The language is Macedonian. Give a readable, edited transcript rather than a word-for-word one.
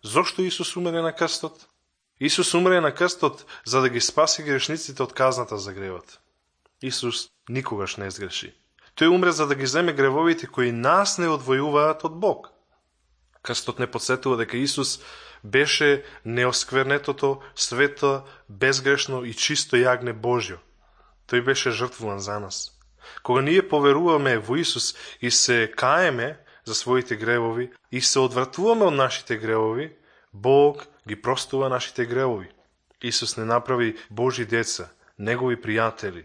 Зошто Исус умре на крстот? Исус умре на крстот за да ги спаси грешниците од казната за гревот. Исус никогаш не сгреши. Тој умре за да ги земе гревовите кои нас не одвојуваат од Бог. Крстот не подсетува дека Исус беше неосквернетото, свето, безгрешно и чисто јагне Божјо. Тој беше жртвуван за нас. Кога ние поверуваме во Исус и се каеме за своите гревови и се одвратуваме од нашите гревови, Бог ги простува нашите гревови. Исус не направи Божи деца, негови пријатели,